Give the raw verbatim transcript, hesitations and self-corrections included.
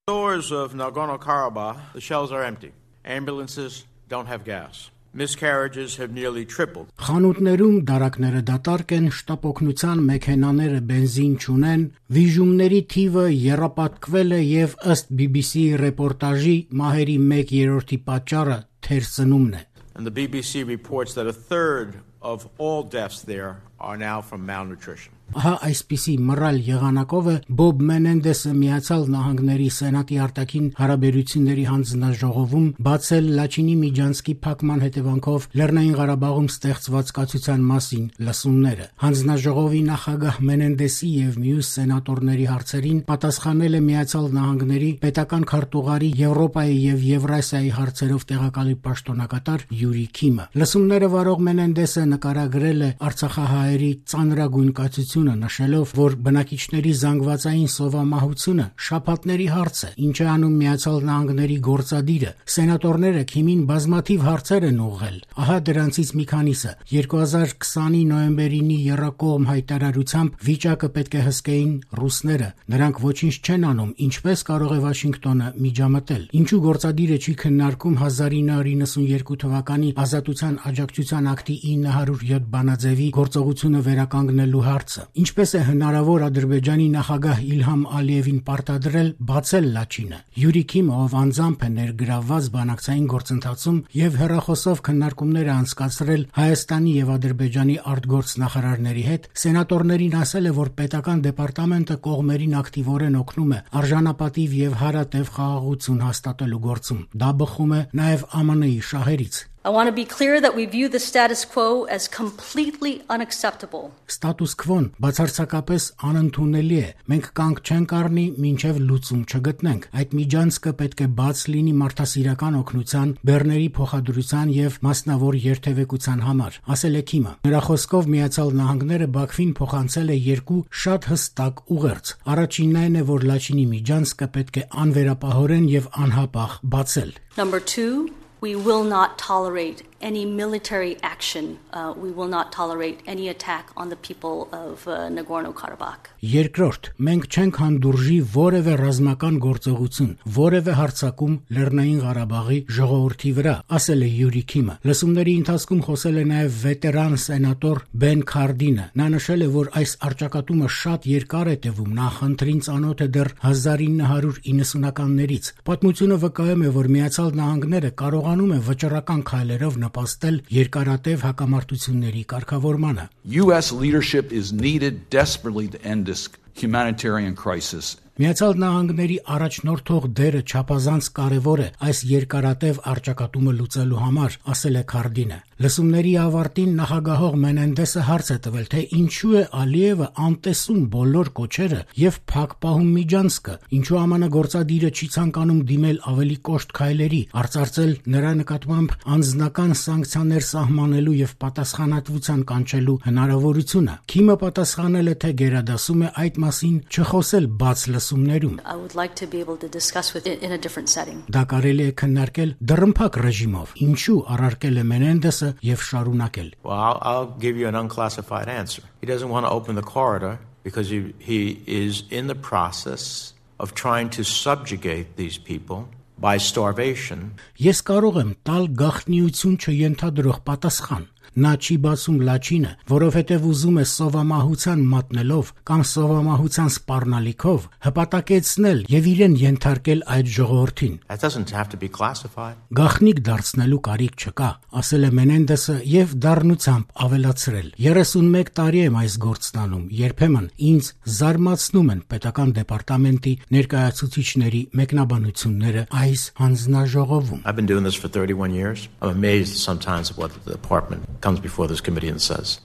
Stores of Nagorno-Karabakh, the shelves are empty. Ambulances don't have gas. Miscarriages have nearly tripled. Խանութներում դարակները դատարկ են, շտապօգնության մեքենաները բենզին չունեն, վիժումների թիվը եռապատկվել է եւ ըստ B B C ռեպորտաժի մահերի մեկ երրորդի պատճառը թերսնումն է. And the B B C reports that a third of all deaths there are now from malnutrition. Ահա այսպիսի մռայլ եղանակով է Բոբ Մենենդեսը Միացյալ Նահանգների Սենատի արտաքին հարաբերությունների հանձնաժողովում բացել Լաչինի Միջանցքի փակման հետևանքով Լեռնային Ղարաբաղում ստեղծված կացության մասին լսումները։ Հանձնաժողովի նախագահ Մենենդեսի եւ մյուս սենատորների հարցերին պատասխանել է Միացյալ Նահանգների պետական քարտուղարի Եվրոպայի եւ Եվրասիայի հարցերով տեղակալի պաշտոնակատար Յուրի Քիմը։ Լսումները վարող Մենենդեսը նկարագրել է արցախահայերի ծանրագույն կացություն նշելով, որ բնակիչների զանգվածային սովամահությունը շաբաթների հարց է, ինչ է անում Միացյալ Նահանգների գործադիրը։ Սենատորները Քիմին բազմաթիվ հարցեր են ուղղել։ Ահա դրանցից մի քանիսը։ երկու հազար քսանի նոյեմբերինի եռակողմ հայտարարությամբ վիճակը պետք է հսկեին ռուսները։ Նրանք ոչինչ չեն անում, ինչպես կարող է Վաշինգտոնը միջամտել։ Ինչու գործադիրը չի քննարկում հազար ինը հարյուր իննսունյերկու թվականի Ազատության աջակցության ակտի ինը հարյուր յոթ բանաձևի գործողությունը վերականգնելու հարցը։ Ինչպես է հնարավոր Ադրբեջանի նախագահ Իլհամ Ալիևին պարտադրել բացել Լաչինը։ Յուրի Քիմը, ով անձամբ է ներգրավված բանակցային գործընթացում եւ հեռախոսով քննարկումներ է անցկացրել Հայաստանի եւ Ադրբեջանի արտգործնախարարների հետ, սենատորներին ասել է, որ պետական դեպարտամենտը կողմերին ակտիվորեն օգնում է արժանապատիվ եւ հարատև խաղաղություն հաստատելու գործում։ Դա բխում է նաեւ Α M N-ի շահերից։ I want to be clear that we view the status quo as completely unacceptable. Status quo-ն բացարձակապես անընդունելի է։ Մենք կանգ չենք առնի, մինչև լուծում չգտնենք։ Այդ միջանցքը պետք է բաց լինի մարդասիրական օգնության, բեռների փոխադրության եւ մասնավոր երթևեկության համար, ասել է Քիմը։ Նրա խոսքով Միացյալ Նահանգները Բաքվին փոխանցել է երկու շատ հստակ ուղերձ։ Առաջինն այն է, որ Լաչինի միջանցքը պետք է անվերապահորեն եւ անհապաղ բացել։ Number two, we will not tolerate any military action. Uh, we will not tolerate any attack on the people of uh, Nagorno-Karabakh. Երկրորդ, մենք չենք հանդուրժի որևէ ռազմական գործողություն, որևէ հարձակում Լեռնային Ղարաբաղի ժողովրդի վրա, ասել է Յուրի Քիմը։ Լսումների ընթացքում խոսել է նաև վետերան սենատոր Բեն Քարդինը։ Նա նշել է, որ այս առճակատումը շատ երկար է տևում, նախընտրին ծանոթ է դեռ հազար ինը հարյուր իննսունականներից։ Պատմությունը վկայում է, որ Միացյալ Նահանգները կարողանում է վճռական քայլերով նպաստել երկարատև հակամարտությունների կարգավորմանը։ U S leadership is needed desperately to end this humanitarian crisis. Միացյալ Նահանգների առաջնորդող դերը չափազանց կարևոր է այս երկարատև առճակատումը լուծելու համար, ասել է Քարդինը։ Լսումների ավարտին նախագահող Մենենդեսը հարց է տվել, թե ինչու է Ալիևը անտեսում բոլոր կոչերը եւ փակ պահում միջանցքը, ինչու Α M N գործադիրը չի ցանկանում դիմել ավելի կոշտ քայլերի, արծարծել նրա նկատմամբ անձնական սանկցիաներ սահմանելու եւ պատասխանատվության կանչելու հնարավորությունը։ Քիմը պատասխանել է, թե գերադասում է այդ մասին չխոսել բաց I would like to be able to discuss with it in a different setting. Դա կարելի է քննարկել դռնփակ ռեժիմով։ Ինչու առարկել է Մենենդեսը եւ շարունակել։ Well, I'll, I'll give you an unclassified answer. He doesn't want to open the corridor because he, he is in the process of trying to subjugate these people by starvation. Ես կարող եմ տալ գաղտնիություն չենթադրող պատասխան։ Նա չի բացում Լաչինը, որովհետև ուզում է սովամահության մատնելով կամ սովամահության սպառնալիքով հպատակեցնել եւ իրեն ենթարկել այդ ժողովրդին։ That doesn't have to be classified. Գաղտնիք դարձնելու կարիք չկա, ասել է Մենենդեսը եւ դառնությամբ ավելացրել. երեսունմեկ տարի եմ այս գործն անում, երբեմն ինձ զարմացնում են պետական դեպարտամենտի ներկայացուցիչների մեկնաբանությունները այս հանձնաժողովում։ I've been doing this for thirty-one years. I'm amazed sometimes at what the department comes before this committee and says.